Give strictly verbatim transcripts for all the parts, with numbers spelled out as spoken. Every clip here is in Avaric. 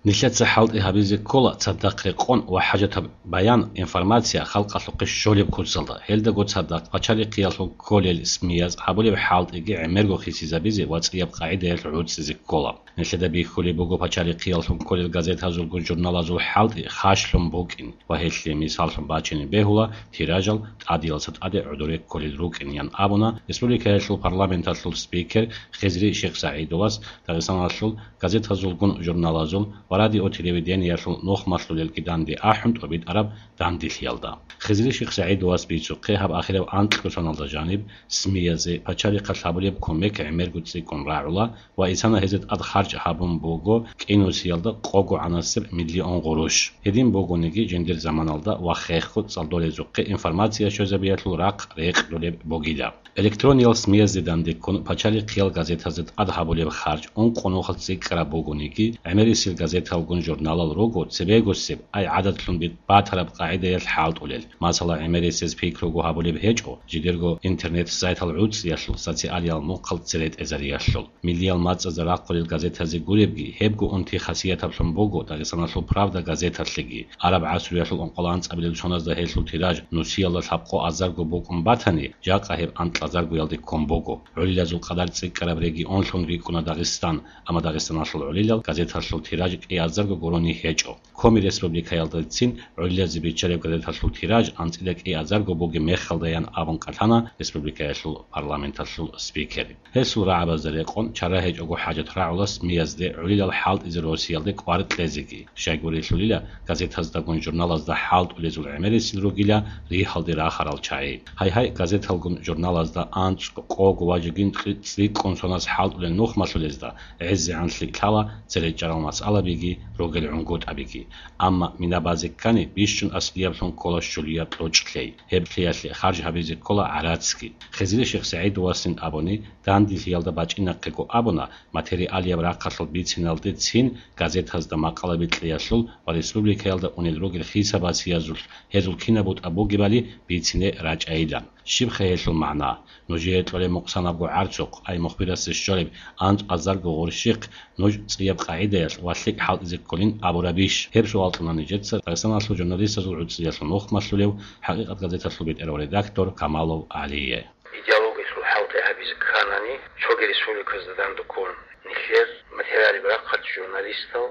Нилъеца хӀалтӀи гьабизе ккола цадахъ рекъон ва хӀажатаб баян, информация халкъалъухъе щолеб куцалда. Гьелдаго цадахъ пачалихъиялъул кколел СМИ-яз гьабулеб хӀалтӀиги гӀемерго хисизабизе ва цӀияб къагӀидаялъ гӀуцӀизе ккола. Нилъеда бихьулеб буго пачалихъиялъул кколел газетазулгун журналазул хӀалтӀи хъашлъун букӀин ва гьелъие мисаллъун бачине бегьула тиражал тӀадиялдаса тӀаде гӀодоре кколел рукӀин, ян абуна республикаялъул парламенталъул спикер Хизри Шихсагьидовас Дагъистаналъул газетазулгун журналазул ва радио-телевидениялъул нухмалъулелги данде ахӀун тӀобитӀараб данделъиялда. Хизри Шихсагьидовас бицухъе гьаб ахирав анкьго соналда жаниб СМИ-язе пачалихъалъ гьабулеб кумек гӀемерго цӀикӀкӀун рагӀула ва исана гьезда тӀад харж гьабун буго кӀинусиялда къого гӀанасеб миллион гъурущ. Гьедин бугониги, жиндир заманалда ва хехго цӀалдолезухъе информация щвезабиялъул рахъ рекъдулеб бугила. Электрониял СМИ-язде дандеккун пачалихъиял газетазда тӀад гьабулеб харж ункъо нухалъ цӀикӀкӀараб бугониги, гӀемерисел газеталгун журналал руго цебегосеб, ай гӀадатлъун би-, батараб къагӀидаялъ хӀалтӀулел. Масала, гӀемерисез пикруго гьабулеб гьечӀо, жидерго интернет-сайтал гӀуцӀиялъул, социалиял мухъал церетӀезариялъул. Миллиял мацӀазда рахъулел газетазе гуребги, гьебго унти хасиятаблъун буго Дагъистаналъул Правда газеталъеги. Араб гӀасруялъул ункъоялда анцӀабилеб соназда гьелъул тираж нусиялда лъабкъо азарго букӀун батани, жакъа гьеб анкьазаргоялде ккун буго. ГӀолилазул къадар цӀикӀкӀараб регионлъун рикӀкӀуна Дагъистан, амма Дагъистаналъул гӀолилал газеталъул тираж кӀиазарго гурони гьечӀо. Коми республикаялдацин гӀолилазе биччараб газеталъул тираж анцӀила кӀиазарго бугеб мехалдаян абун кӀалъана республикаялъул парламенталъул спикер. Гьесул рагӀабазда рекъон чара гьечӀого хӀажат рагӀула СМИ-язде гӀолилал хӀалтӀизе Россиялде кӀвар кьезеги. Щайгурелъулила, газетаздагун журналазда хӀалтӀулезул гӀемерисел ругила ригьалде рахарал чагӀи. Гьайгьай, газеталгун журналазда анцӀ, къого ва жигин цӀи-, цӀикӀкӀун соназ хӀалтӀулел нухмалъулезда гӀезегӀан лъикӀ лъала церечӀарал масъалабиги ругел гӀунгутӀабиги. Амма мина базе ккани, бищун аслияблъун ккола щулияб кьучӀ лъей. Гьеб лъиялъе харж гьабизе ккола гӀарацги. Хизри Шихсагьидовасин абуни, данделъиялда бачӀинахъего абуна, материалияб рахъалъул бициналдецин газетазда макъалаби кьеялъул ва республикаялда унел ругел хисабасиязулъ гьезул кинаб бутӀа бугебали бицине рачӀайилан. Щибха гьелъул магӀна? Нужее кьолеб мукъсанабго гӀарцухъ, ай мухбирасе щолеб анцӀазарго гъурщихъ, нуж цӀияб къагӀидаялъ ва лъикӀ хӀалтӀизе кколин абурабищ? Гьеб суал кьуна нижеца Дагъистаналъул журналистазул гӀуцӀиялъул нухмалъулев, ХӀакъикъат газеталъул бетӀерав редактор Камалов ГӀалие. Идеологиялъул хӀалтӀи гьабизе кканани, цоги республиказда дандеккун нилъер материалияб рахъалъ журналистал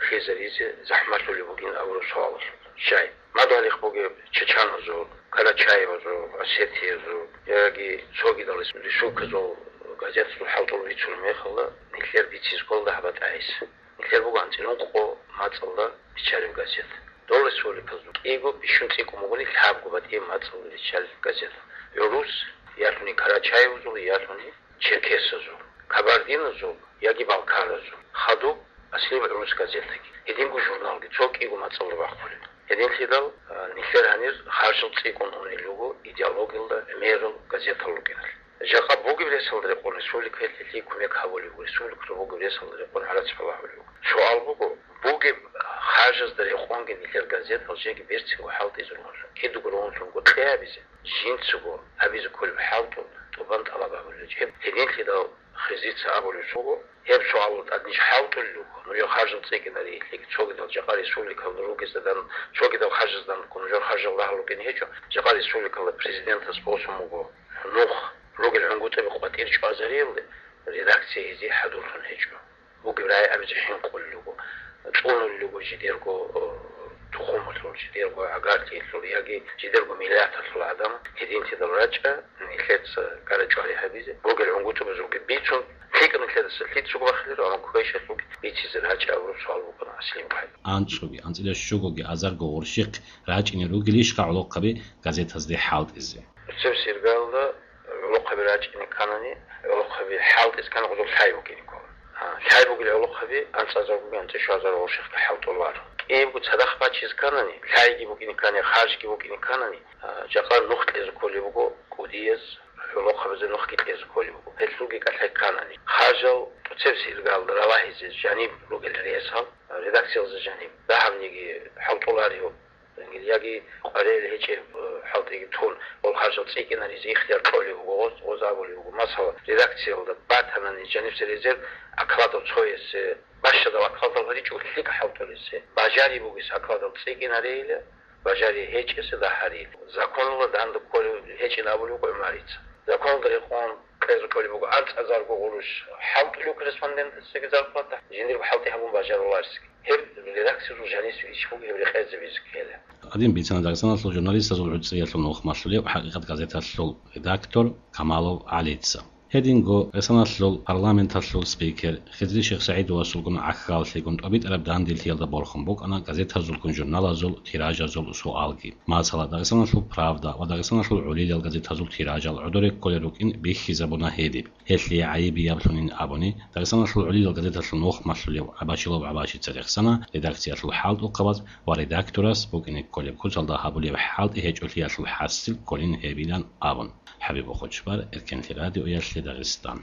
хизаризе захӀмалъулеб бугин абураб суалалъул. Щай? Мадугьалихъ бугеб чечаназул, карачаевазул, осетиязул яги цогидал рес-, республиказул газетазул хӀалтӀул бицунеб мехалда, нилъер бицизе ккола дагьаб батӀа гьес. Нилъер буго анцӀила ункъо мацӀалда биччараб газет. Дол республиказул кӀиго бищун цӀикӀкӀун бугони лъабго батӀияб мацӀалда биччараб газет. ГӀурус, ялъуни карачаевазул, ялъуни черкесазул, кабардиназул яги балкаразул, хадуб аслияб гӀурус газетаги, гьединго журналги, цо кӀиго мацӀалда бахъулеб. Гьединлъидал, а, нилъер гьанир харжал цӀикӀкӀун унел руго идеологиялда гӀемерал газетал рукӀиналъ. Жакъа бугеб ресалда рекъон республикаялъ гьелъие кумек гьабулеб буго, республикалъул бугеб ресалда рекъон гӀарац балагьулеб буго. Суал буго, бугеб харжазда рекъонги нилъер газетал жеги берцинго хӀалтӀизе ругьунлъун, кидаго ругьунлъунго кье гьабизе, жинцаго гьабизе кколеб хӀалтӀу тӀубан тӀалаб гьабулел. Гьеб гьединлъидал Хизрица абулеб буго, гьеб суалалда тӀад ниж хӀалтӀулел руго, нужер харжал цӀикӀкӀинари, лъикӀ цогидал жакъа республикалда ругезда дан, цогидал харжазда дан нужер харжал рагьал рукӀине гьечӀо, жакъа республикалда президентас босун буго нух, ругел гӀунгутӀаби къватӀир чӀвазариялде, редакция гьезие хӀадурлъун гьечӀо. Бугеб рагӀи абизе хӀинкъулел руго, цӀунулел руго жидерго, э, тухумалъул, жидерго гӀагарлъиялъул яги жидерго миллаталъул гӀадамал. Гьединлъидал рачӀа, нилъеца кӀара-чӀвари гьабизе, ругел гӀунгутӀубазулги бицун, лъикӀаб нилъедаса лъицаго бахиларо, амма квешалъулги бицизе рачӀа абураб суал букӀана аслияб гӀайиб. АнцӀуги, анцӀила щугоги азарго гъурщихъ рачӀине ругелищха гӀолохъаби газетазде хӀалтӀизе? Цебесеб иргаялда гӀолохъаби рачӀине кканани, гӀолохъаби хӀалтӀизе ккани гъозул лъай букӀине ккола. А, лъай бугел гӀолохъаби анцӀазаргоги анцӀила щуазарго гъурщихъги хӀалтӀуларо. КӀиябго цадахъ бачизе кканани, лъайги букӀине ккани, харжги букӀине кканани, а, жакъа нух кьезе кколеб буго, кӀудияз гӀолохъабазе нухги кьезе кколеб буго. Гьелъулги кӀалъай кканани, харжал тӀоцебесеб иргаялда ралагьизе жаниб ругел ресал, а, редакциялъе жаниб, дагьабниги хӀалтӀуларев, яги къваригӀел гьечӀеб, э, хӀалтӀиги тун, гъол харжал цӀикӀкӀинаризе ихтияр кьолеб буго, гъоз, гъоз абулеб буго. Масала, редакциялда батанани жаниб цере резерв окладов цоясе Бащадал акалдал гьаричӀо лъикӀ хӀалтӀулесе. Бажари бугес акалдал цӀикӀкӀинарейила, бажари гьечӀесе дагьарейила. Законалда данде кколев гьечӀин абулеб буго ГӀумарица. Законалда рекъон кьезе кколеб буго анцӀазарго гъурущ хӀалтӀулев корреспондентасеги зарплата, жиндирго хӀалтӀи гьабун бажаруларесги. Гьеб редакциялъул жанисеб иш буго, гьеб рекъезе бизехъе. Гьадин бицана Дагъистаналъул журналистазул гӀуцӀриялъул нухмалъулев ХӀакъикъат газеталъул редактор Камалов ГӀалица. Гьединго ГӀисаналъул парламенталъул спикер Хизри Шихсагьидовасулгун гӀахьаллъигун тӀобитӀараб данделъиялда борхун букӀана газетазулгун журналазул тиражазул суалги. Масала, Дагъистаналъул Правда ва Дагъистаналъул ГӀолилал газетазул тиражал гӀодоре кколел рукӀин бихьизабуна гьедиб. Гьелъие гӀайибияб лъунин абуни, Дагъистаналъул ГӀолилал газеталъул нухмалъулев ГӀабашилов ГӀабашица рехсана редакциялъул хӀалтӀухъабаз ва редакторас букӀине кколеб куцалда гьабулеб хӀалтӀи гьечӀолъиялъул хӀасил кколин гьебилан абун. ХӀабиб Бухучбар, Эркенлъи радиоялъе Дагъистан.